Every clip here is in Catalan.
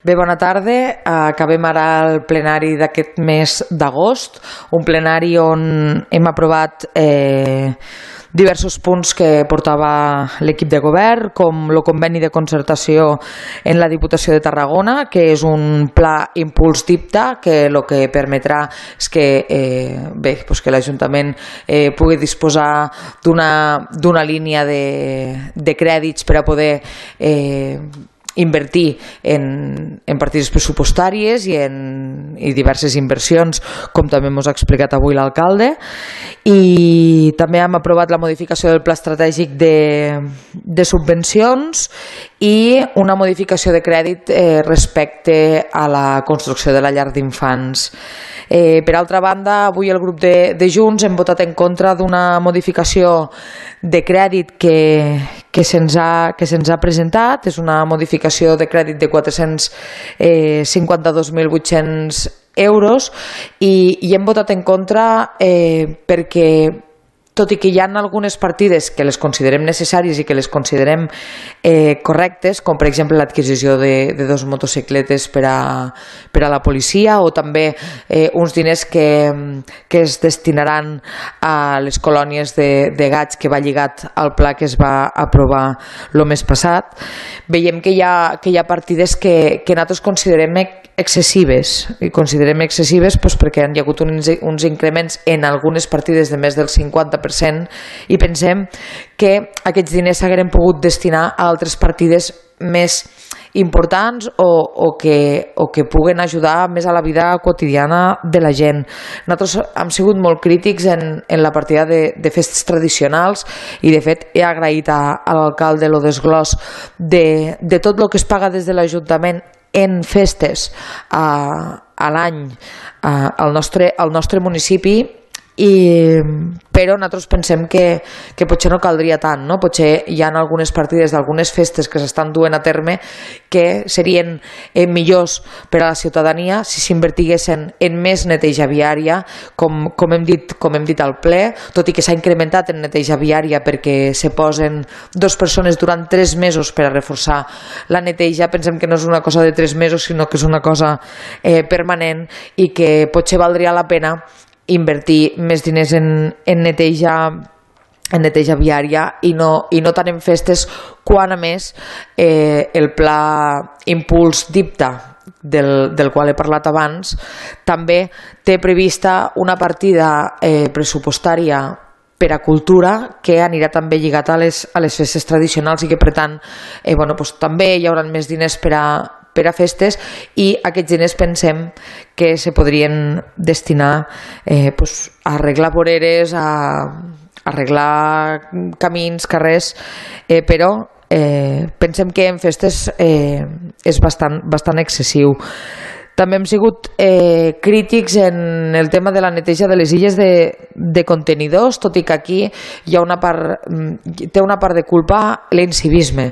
Bé, bona tarda. Acabem ara el plenari d'aquest mes d'agost, un plenari on hem aprovat diversos punts que portava l'equip de govern, com el conveni de concertació en la Diputació de Tarragona, que és un pla impuls DIPTA, que el que permetrà és que, que l'Ajuntament pugui disposar d'una línia de crèdits per a poder invertir en partides pressupostàries i diverses inversions, com també ens ha explicat avui l'alcalde. I també hem aprovat la modificació del pla estratègic de subvencions i una modificació de crèdit respecte a la construcció de la llar d'infants. Per altra banda, avui el grup de Junts hem votat en contra d'una modificació de crèdit que se'ns ha presentat. És una modificació de crèdit de 452.800 euros i hem votat en contra perquè, tot i que hi ha algunes partides que les considerem necessàries i que les considerem correctes, com per exemple l'adquisició de 2 motocicletes per a la policia, o també uns diners que es destinaran a les colònies de gats, que va lligat al pla que es va aprovar el mes passat, veiem que hi ha partides que nosaltres considerem excessives, i considerem excessives perquè hi ha hagut uns increments en algunes partides de més del 50%, i pensem que aquests diners s'hagueren pogut destinar a altres partides més importants o que puguen ajudar més a la vida quotidiana de la gent. Nosaltres hem sigut molt crítics en la partida de festes tradicionals, i de fet he agraït a l'alcalde el desglòs de tot el que es paga des de l'Ajuntament en festes a l'any al nostre municipi, però nosaltres pensem que potser no caldria tant, no? Potser hi ha algunes partides d'algunes festes que s'estan duent a terme que serien millors per a la ciutadania si s'invertiguessin en més neteja viària, com hem dit al ple, tot i que s'ha incrementat en neteja viària perquè se posen 2 persones durant 3 mesos per a reforçar la neteja. Pensem que no és una cosa de 3 mesos, sinó que és una cosa permanent, i que potser valdria la pena invertir més diners en neteja viària i no tant en festes, quan a més el pla impuls DIPTA, del qual he parlat abans, també té prevista una partida pressupostària per a cultura que anirà també lligat a les festes tradicionals, i que per tant també hi haurà més diners per a festes, i aquests diners pensem que se podrien destinar a arreglar voreres, a arreglar camins, carrers, però pensem que en festes és bastant excessiu. També hem sigut crítics en el tema de la neteja de les illes de contenidors, tot i que aquí té una part de culpa l'incivisme.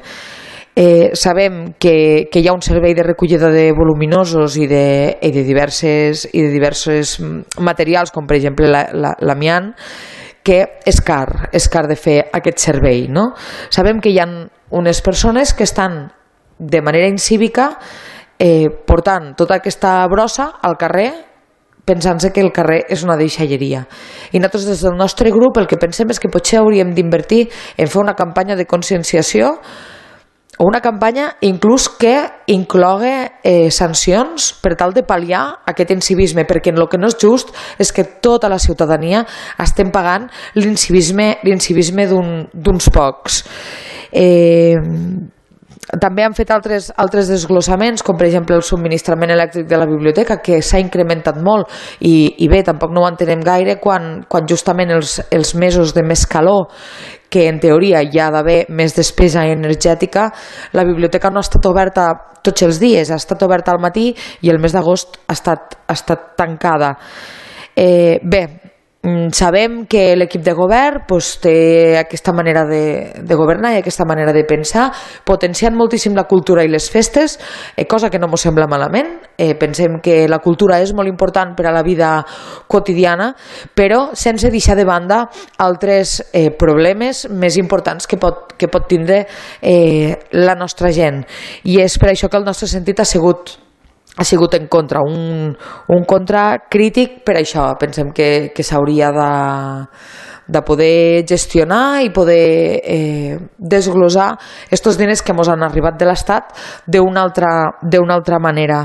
Sabem que hi ha un servei de recollida de voluminosos i de diversos materials, com per exemple l'amiant, que és car de fer aquest servei, no? Sabem que hi ha unes persones que estan de manera incívica portant tota aquesta brossa al carrer, pensant-se que el carrer és una deixalleria. I nosaltres des del nostre grup el que pensem és que potser hauríem d'invertir en fer una campanya de conscienciació, o una campanya inclús que inclogui sancions per tal de pal·liar aquest incivisme, perquè el que no és just és que tota la ciutadania estem pagant l'incivisme d'uns pocs. També han fet altres desglossaments, com per exemple el subministrament elèctric de la biblioteca, que s'ha incrementat molt, i bé, tampoc no ho entenem gaire quan justament els mesos de més calor, que en teoria hi ha d'haver més despesa energètica, la biblioteca no ha estat oberta tots els dies, ha estat oberta al matí, i el mes d'agost ha estat tancada. Bé, sabem que l'equip de govern té aquesta manera de governar i aquesta manera de pensar, potenciant moltíssim la cultura i les festes, cosa que no ens sembla malament. Pensem que la cultura és molt important per a la vida quotidiana, però sense deixar de banda altres problemes més importants que pot tindre la nostra gent. I és per això que el nostre sentit ha sigut en contra, un contra crític per això. Pensem que s'hauria de poder gestionar i poder desglossar aquests diners que ens han arribat de l'Estat d'una altra manera.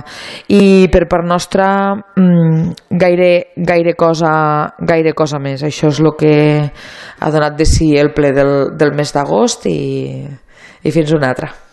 I per part nostra gaire cosa més. Això és el que ha donat de si el ple del mes d'agost i fins una altra.